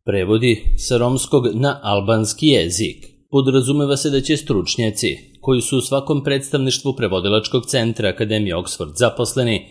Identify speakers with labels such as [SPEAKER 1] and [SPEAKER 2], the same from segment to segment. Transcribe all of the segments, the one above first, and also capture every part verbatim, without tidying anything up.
[SPEAKER 1] Prevodi sa romskog na albanski jezik. Podrazumeva se da će stručnjaci, koji su u svakom predstavništvu prevodilačkog centra Akademije Oxford zaposleni,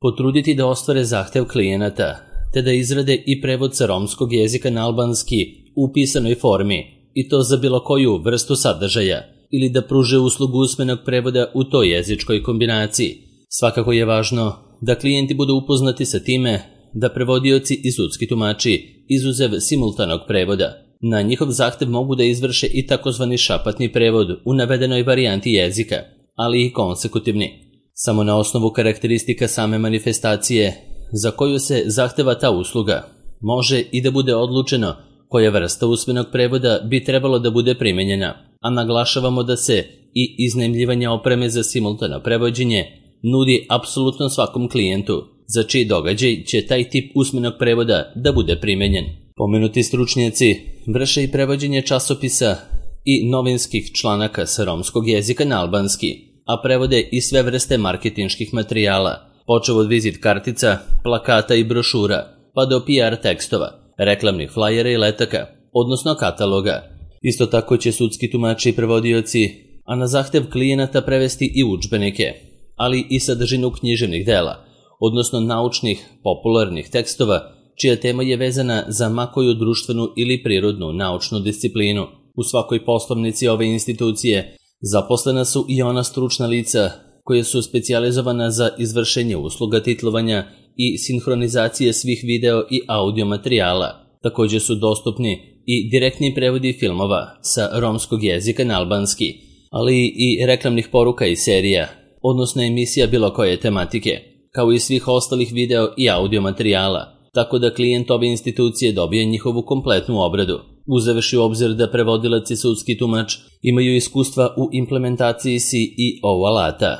[SPEAKER 1] potruditi da ostvare zahtev klijenata, te da izrade i prevod sa romskog jezika na albanski u pisanoj formi, i to za bilo koju vrstu sadržaja, ili da pruže uslugu usmenog prevoda u toj jezičkoj kombinaciji. Svakako je važno da klijenti budu upoznati sa time da prevodioci i sudski tumači, izuzev simultanog prevoda, na njihov zahtev mogu da izvrše i takozvani šapatni prevod u navedenoj varijanti jezika, ali i konsekutivni. Samo na osnovu karakteristika same manifestacije za koju se zahteva ta usluga, može i da bude odlučeno koja vrsta usmenog prevoda bi trebalo da bude primenjena, a naglašavamo da se i iznajmljivanje opreme za simultano prevođenje nudi apsolutno svakom klijentu, za čiji događaj će taj tip usmenog prevoda da bude primenjen. Pomenuti stručnjaci vrše i prevođenje časopisa i novinskih članaka sa romskog jezika na albanski, a prevode i sve vrste marketinških materijala, počev od vizit kartica, plakata i brošura, pa do P R tekstova, reklamnih flajera i letaka, odnosno kataloga. Isto tako će sudski tumači i prevodioci, a na zahtev klijenata prevesti i udžbenike, ali i sadržinu književnih dela, odnosno naučnih, popularnih tekstova, čija tema je vezana za makoju društvenu ili prirodnu naučnu disciplinu. U svakoj poslovnici ove institucije zaposlena su i ona stručna lica koje su specijalizovana za izvršenje usluga titlovanja i sinhronizacije svih video i audio materijala. Također su dostupni i direktni prevodi filmova sa romskog jezika na albanski, ali i reklamnih poruka i serija, odnosno emisija bilo koje tematike, kao i svih ostalih video i audio materijala, tako da klijent ove institucije dobije njihovu kompletnu obradu. Uzevši u obzir da prevodilac i sudski tumač imaju iskustva u implementaciji C E O alata,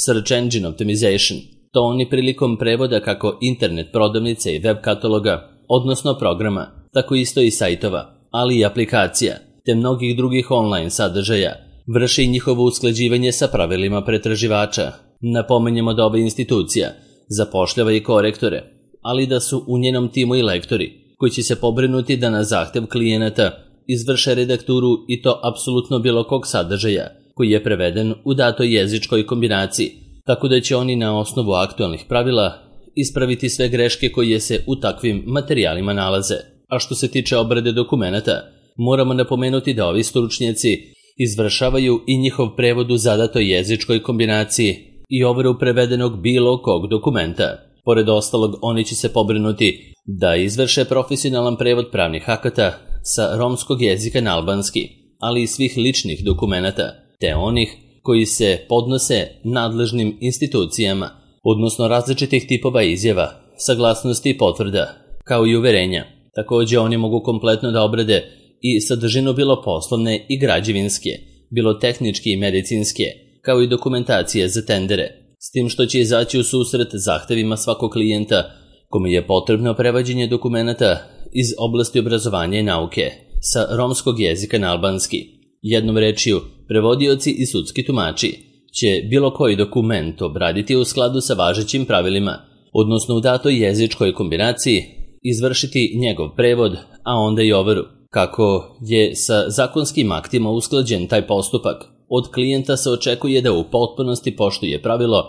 [SPEAKER 1] Search Engine Optimization, to oni prilikom prevoda kako internet prodavnice i web kataloga, odnosno programa, tako isto i sajtova, ali i aplikacija, te mnogih drugih online sadržaja, vrši i njihovo usklađivanje sa pravilima pretraživača. Napomenjemo da ova institucija zapošljava i korektore, ali da su u njenom timu i lektori, koji će se pobrinuti da na zahtev klijenata izvrše redakturu i to apsolutno bilo kog sadržaja, koji je preveden u datoj jezičkoj kombinaciji, tako da će oni na osnovu aktualnih pravila ispraviti sve greške koje se u takvim materijalima nalaze. A što se tiče obrade dokumenata, moramo napomenuti da ovi stručnjaci izvršavaju i njihov prevod u zadatoj jezičkoj kombinaciji i overu prevedenog bilo kog dokumenta. Pored ostalog, oni će se pobrinuti da izvrše profesionalan prevod pravnih akata sa romskog jezika na albanski, ali i svih ličnih dokumenata, te onih koji se podnose nadležnim institucijama, odnosno različitih tipova izjava, saglasnosti i potvrda, kao i uverenja. Također oni mogu kompletno da obrade i sadržinu bilo poslovne i građevinske, bilo tehničke i medicinske, kao i dokumentacije za tendere, s tim što će izaći u susret zahtevima svakog klijenta kome je potrebno prevođenje dokumenata iz oblasti obrazovanja i nauke sa romskog jezika na albanski. Jednom rečju, prevodioci i sudski tumači će bilo koji dokument obraditi u skladu sa važećim pravilima, odnosno u datoj jezičkoj kombinaciji izvršiti njegov prevod, a onda i overu. Kako je sa zakonskim aktima usklađen taj postupak, od klijenta se očekuje da u potpunosti poštuje pravilo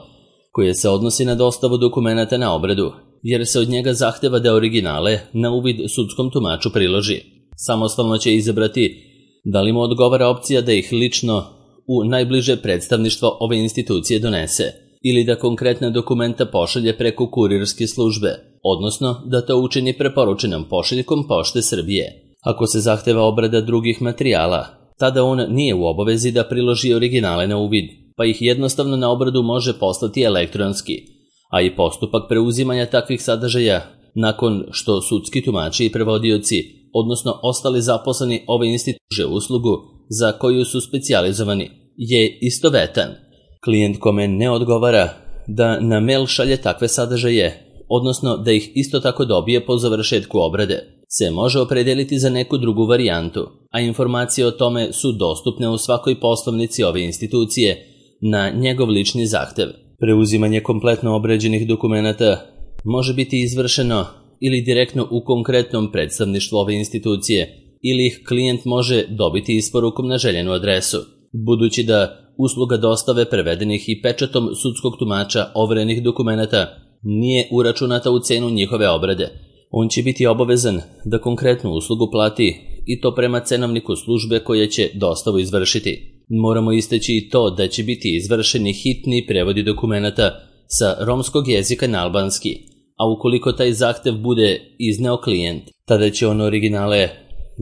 [SPEAKER 1] koje se odnosi na dostavu dokumenata na obradu, jer se od njega zahteva da originale na uvid sudskom tumaču priloži. Samostalno će izabrati da li mu odgovara opcija da ih lično u najbliže predstavništvo ove institucije donese, ili da konkretna dokumenta pošalje preko kurirske službe, odnosno da to učini preporučenom pošiljkom Pošte Srbije. Ako se zahteva obrada drugih materijala, tada on nije u obavezi da priloži originale na uvid, pa ih jednostavno na obradu može poslati elektronski, a i postupak preuzimanja takvih sadržaja, nakon što sudski tumači i prevodioci, odnosno ostali zaposleni ove institucije uslugu za koju su specijalizovani, je istovetan. Klijent kome ne odgovara da na mail šalje takve sadržaje, odnosno da ih isto tako dobije po završetku obrade, se može opredeliti za neku drugu varijantu, a informacije o tome su dostupne u svakoj poslovnici ove institucije na njegov lični zahtev. Preuzimanje kompletno obrađenih dokumenata može biti izvršeno ili direktno u konkretnom predstavništvu ove institucije, ili ih klijent može dobiti isporukom na željenu adresu. Budući da usluga dostave prevedenih i pečatom sudskog tumača overenih dokumenata nije uračunata u cenu njihove obrade, on će biti obavezan da konkretnu uslugu plati i to prema cenovniku službe koja će dostavu izvršiti. Moramo istaći i to da će biti izvršeni hitni prevodi dokumenata sa romskog jezika na albanski, a ukoliko taj zahtev bude izneo klijent, tada će on originale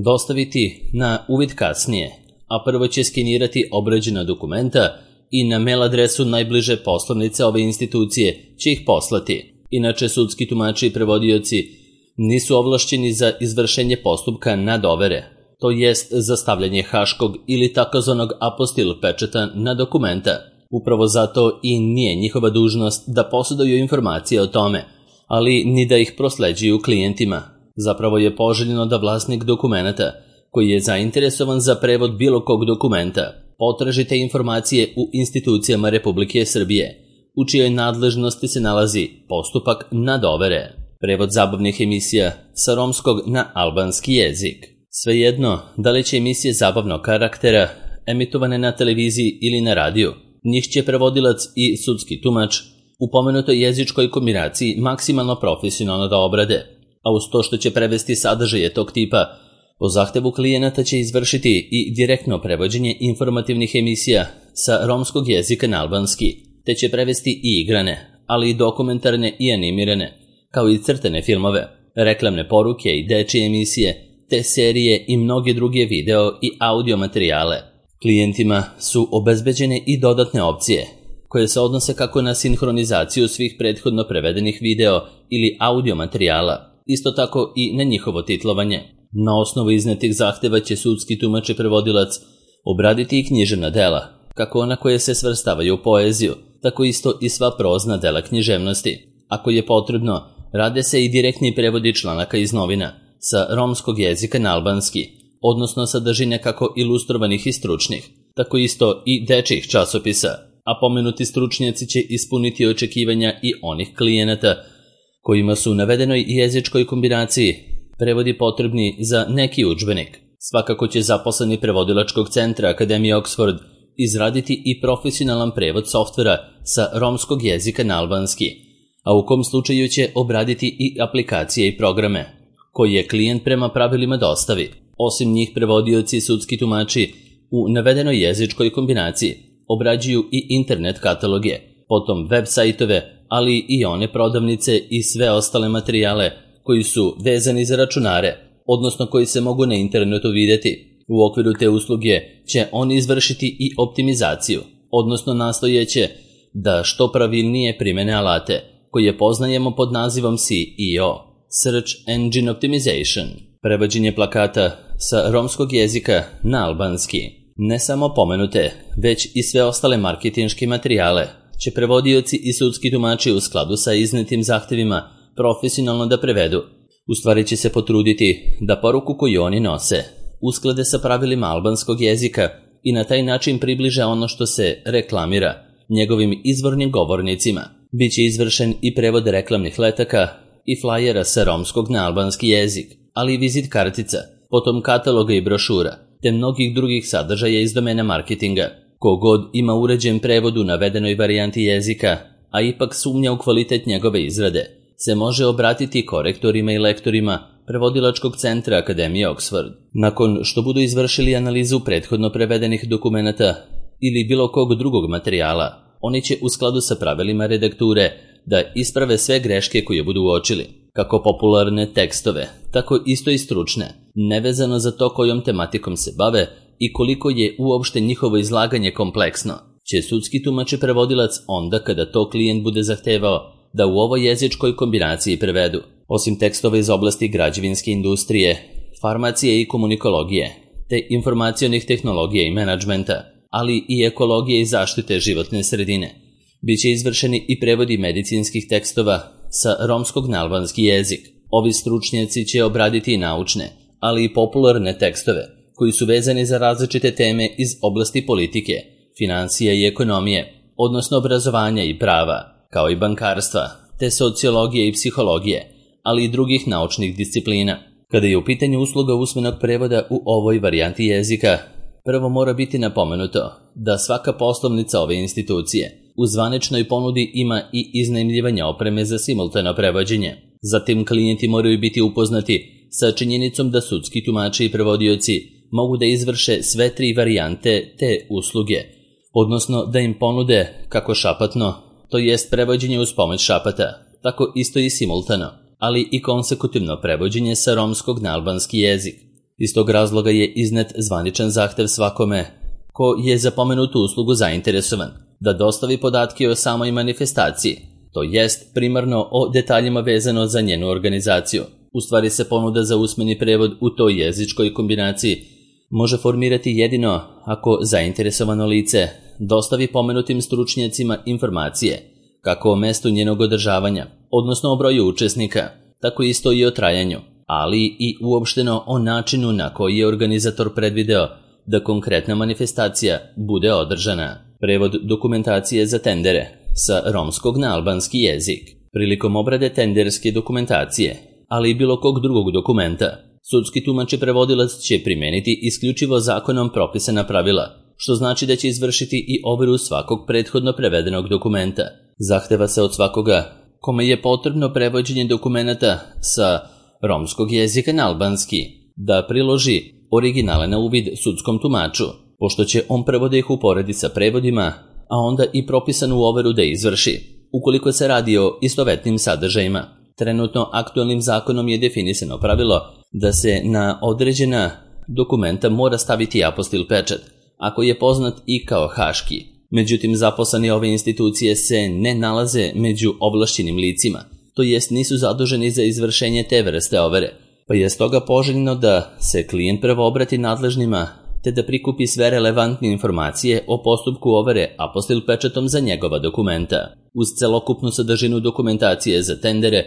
[SPEAKER 1] dostaviti na uvid kasnije, a prvo će skenirati obrađena dokumenta i na mail adresu najbliže poslovnice ove institucije će ih poslati. Inače, sudski tumači i prevodioci nisu ovlašćeni za izvršenje postupka nadovere, to jest za stavljanje haškog ili takozvanog apostil pečata na dokumenta. Upravo zato i nije njihova dužnost da posjeduju informacije o tome, ali ni da ih prosleđuju klijentima. Zapravo je poželjno da vlasnik dokumenata, koji je zainteresovan za prevod bilo kog dokumenta, potraži te informacije u institucijama Republike Srbije, u čijoj nadležnosti se nalazi postupak nadovere. Prevod zabavnih emisija sa romskog na albanski jezik. Svejedno, da li će emisije zabavnog karaktera emitovane na televiziji ili na radiju, njih će prevodilac i sudski tumač u pomenutoj jezičkoj kombinaciji maksimalno profesionalno da obrade, a uz to što će prevesti sadržaje tog tipa, po zahtevu klijenata će izvršiti i direktno prevođenje informativnih emisija sa romskog jezika na albanski, te će prevesti i igrane, ali i dokumentarne i animirane, kao i crtane filmove, reklamne poruke i dečije emisije, te serije i mnoge druge video i audio materijale. Klijentima su obezbeđene i dodatne opcije, koje se odnose kako na sinhronizaciju svih prethodno prevedenih video ili audio materijala, isto tako i na njihovo titlovanje. Na osnovu iznetih zahteva će sudski tumač i prevodilac obraditi i književna dela, kako ona koje se svrstavaju u poeziju, tako isto i sva prozna dela književnosti. Ako je potrebno, rade se i direktni prevodi članaka iz novina sa romskog jezika na albanski, odnosno sadržine kako ilustrovanih i stručnih, tako isto i dečjih časopisa, a pomenuti stručnjaci će ispuniti očekivanja i onih klijenata kojima su u navedenoj jezičkoj kombinaciji prevodi potrebni za neki udžbenik. Svakako će zaposleni prevodilačkog centra Akademije Oxford izraditi i profesionalan prevod softvera sa romskog jezika na albanski, a u kom slučaju će obraditi i aplikacije i programe, koje klijent prema pravilima dostavi. Osim njih, prevodioci i sudski tumači u navedenoj jezičkoj kombinaciji obrađuju i internet kataloge, potom web sajtove, ali i one prodavnice i sve ostale materijale koji su vezani za računare, odnosno koji se mogu na internetu vidjeti. U okviru te usluge će oni izvršiti i optimizaciju, odnosno nastojeće da što pravilnije primene alate, koje poznajemo pod nazivom S E O, Search Engine Optimization. Prevođenje plakata sa romskog jezika na albanski. Ne samo pomenute, već i sve ostale marketinške materijale će prevodioci i sudski tumači u skladu sa iznetim zahtevima profesionalno da prevedu. U stvari će se potruditi da poruku koju oni nose usklade sa pravilima albanskog jezika i na taj način približe ono što se reklamira njegovim izvornim govornicima. Biće izvršen i prevod reklamnih letaka i flajera sa romskog na albanski jezik, ali i vizit kartica, potom kataloga i brošura, te mnogih drugih sadržaja iz domena marketinga. Kogod ima uređen prevod u navedenoj varijanti jezika, a ipak sumnja u kvalitet njegove izrade, se može obratiti korektorima i lektorima prevodilačkog centra Akademije Oxford. Nakon što budu izvršili analizu prethodno prevedenih dokumenata ili bilo kog drugog materijala, oni će u skladu sa pravilima redakture da isprave sve greške koje budu uočili, kako popularne tekstove, tako isto i stručne, nevezano za to kojom tematikom se bave i koliko je uopšte njihovo izlaganje kompleksno, će sudski tumač i prevodilac onda kada to klijent bude zahtevao da u ovoj jezičkoj kombinaciji prevedu. Osim tekstova iz oblasti građevinske industrije, farmacije i komunikologije, te informacionih tehnologija i menadžmenta, ali i ekologije i zaštite životne sredine, biće izvršeni i prevodi medicinskih tekstova sa romskog na albanski jezik. Ovi stručnjaci će obraditi i naučne, ali i popularne tekstove, koji su vezani za različite teme iz oblasti politike, financija i ekonomije, odnosno obrazovanja i prava, kao i bankarstva, te sociologije i psihologije, ali i drugih naučnih disciplina. Kada je u pitanju usluga usmenog prevoda u ovoj varijanti jezika, prvo mora biti napomenuto da svaka poslovnica ove institucije u zvaničnoj ponudi ima i iznajmljivanje opreme za simultano prevođenje. Zatim klijenti moraju biti upoznati sa činjenicom da sudski tumači i prevodioci mogu da izvrše sve tri varijante te usluge, odnosno da im ponude kako šapatno, to jest prevođenje uz pomoć šapata, tako isto i simultano, ali i konsekutivno prevođenje sa romskog na albanski jezik. Iz tog razloga je iznet zvaničan zahtev svakome ko je za pomenutu uslugu zainteresovan da dostavi podatke o samoj manifestaciji, to jest primarno o detaljima vezano za njenu organizaciju. U stvari se ponuda za usmeni prevod u toj jezičkoj kombinaciji može formirati jedino ako zainteresovano lice dostavi pomenutim stručnjacima informacije kako o mestu njenog održavanja, odnosno o broju učesnika, tako isto i o trajanju, ali i uopšteno o načinu na koji je organizator predvideo da konkretna manifestacija bude održana. Prevod dokumentacije za tendere sa romskog na albanski jezik. Prilikom obrade tenderske dokumentacije, ali i bilo kog drugog dokumenta, sudski tumač i prevodilac će primeniti isključivo zakonom propisana pravila, što znači da će izvršiti i overu svakog prethodno prevedenog dokumenta. Zahteva se od svakoga kome je potrebno prevođenje dokumenata sa romskog jezika na albanski da priloži originale na uvid sudskom tumaču, pošto će on prvo da ih uporedi sa prevodima, a onda i propisanu overu da izvrši, ukoliko se radi o istovetnim sadržajima. Trenutno aktualnim zakonom je definisano pravilo da se na određena dokumenta mora staviti apostil pečat, ako je poznat i kao haški. Međutim, zaposleni ove institucije se ne nalaze među ovlašćenim licima, to jest nisu zaduženi za izvršenje te vrste overe, pa je stoga poželjno da se klijent prvo obrati nadležnima te da prikupi sve relevantne informacije o postupku overe apostil pečatom za njegova dokumenta. Uz celokupnu sadržinu dokumentacije za tendere,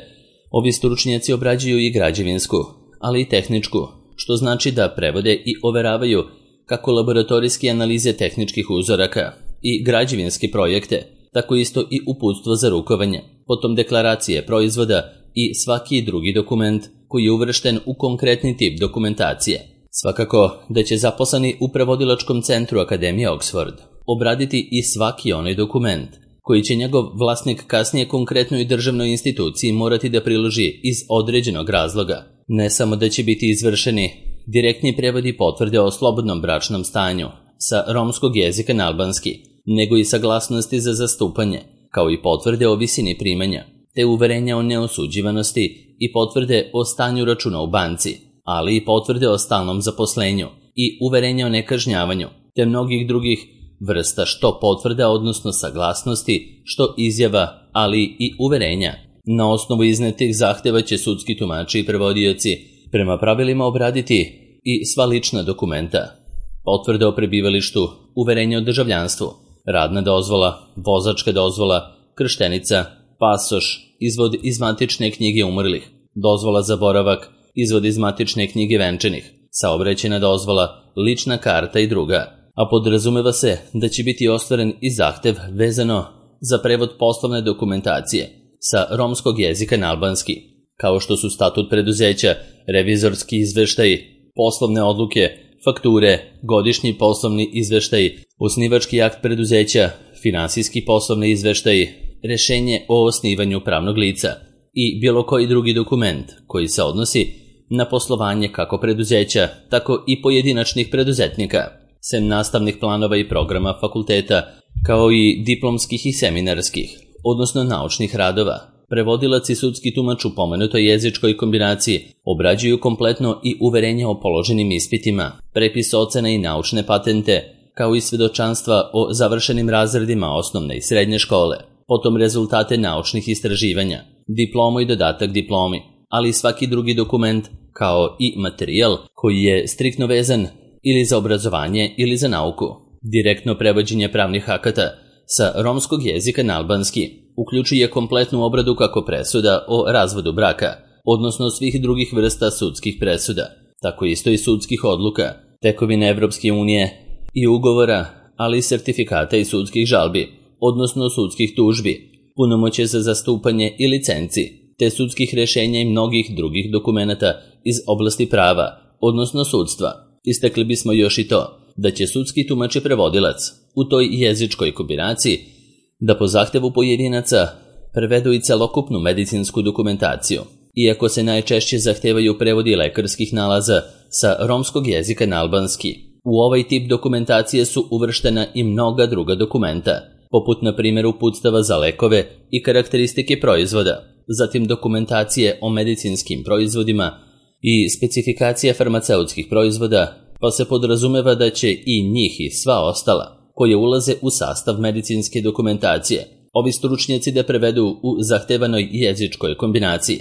[SPEAKER 1] ovi stručnjaci obrađuju i građevinsku, ali i tehničku, što znači da prevode i overavaju kako laboratorijske analize tehničkih uzoraka i građevinske projekte, tako isto i uputstvo za rukovanje, potom deklaracije proizvoda i svaki drugi dokument koji je uvršten u konkretni tip dokumentacije. Svakako da će zaposleni u prevodilačkom centru Akademije Oxford obraditi i svaki onaj dokument koji će njegov vlasnik kasnije konkretnoj državnoj instituciji morati da priloži iz određenog razloga. Ne samo da će biti izvršeni direktni prevodi potvrde o slobodnom bračnom stanju sa romskog jezika na albanski, nego i saglasnosti za zastupanje, kao i potvrde o visini primanja, te uverenja o neosuđivanosti i potvrde o stanju računa u banci, ali i potvrde o stalnom zaposlenju i uverenja o nekažnjavanju, te mnogih drugih vrsta što potvrda, odnosno saglasnosti, što izjava, ali i uverenja. Na osnovu iznetih zahteva će sudski tumači i prevodioci prema pravilima obraditi i sva lična dokumenta, potvrde o prebivalištu, uverenje o državljanstvu, radna dozvola, vozačka dozvola, krštenica, pasoš, izvod iz matične knjige umrlih, dozvola za boravak, izvod iz matične knjige venčanih, saobraćajna dozvola, lična karta i druga. A podrazumeva se da će biti ostvaren i zahtev vezano za prevod poslovne dokumentacije sa romskog jezika na albanski, kao što su statut preduzeća, revizorski izveštaji, poslovne odluke, fakture, godišnji poslovni izveštaji, osnivački akt preduzeća, finansijski poslovni izveštaji, rešenje o osnivanju pravnog lica i bilo koji drugi dokument koji se odnosi na poslovanje kako preduzeća, tako i pojedinačnih preduzetnika, sem nastavnih planova i programa fakulteta, kao i diplomskih i seminarskih, odnosno naučnih radova. Prevodilac i sudski tumač u pomenutoj jezičkoj kombinaciji obrađuju kompletno i uverenje o položenim ispitima, prepis ocena i naučne patente, kao i svedočanstva o završenim razredima osnovne i srednje škole, potom rezultate naučnih istraživanja, diplomu i dodatak diplomi, ali i svaki drugi dokument, kao i materijal koji je striktno vezan ili za obrazovanje ili za nauku. Direktno prevođenje pravnih akata sa romskog jezika na albanski uključuje kompletnu obradu kako presuda o razvodu braka, odnosno svih drugih vrsta sudskih presuda, tako isto i sudskih odluka, tekovine Evropske unije i ugovora, ali i sertifikata i sudskih žalbi, odnosno sudskih tužbi, punomoćje za zastupanje i licenci, te sudskih rješenja i mnogih drugih dokumenata iz oblasti prava, odnosno sudstva. Istakli bismo još i to da će sudski tumač i prevodilac u toj jezičkoj kombinaciji da po zahtevu pojedinaca prevedu i celokupnu medicinsku dokumentaciju, iako se najčešće zahtevaju prevodi lekarskih nalaza sa romskog jezika na albanski. U ovaj tip dokumentacije su uvrštena i mnoga druga dokumenta, poput na primjer uputstava za lekove i karakteristike proizvoda, zatim dokumentacije o medicinskim proizvodima i specifikacija farmaceutskih proizvoda, pa se podrazumeva da će i njih i sva ostala, koje ulaze u sastav medicinske dokumentacije, ovi stručnjaci da prevedu u zahtevanoj jezičkoj kombinaciji,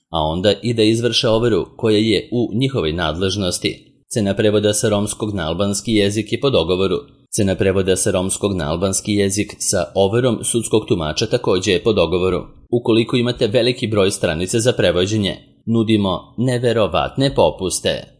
[SPEAKER 1] a onda i da izvrše overu koja je u njihovoj nadležnosti. Cena prevoda sa romskog na albanski jezik je po dogovoru. Cena prevoda sa romskog na albanski jezik sa overom sudskog tumača također je po dogovoru. Ukoliko imate veliki broj stranica za prevođenje, nudimo neverovatne popuste.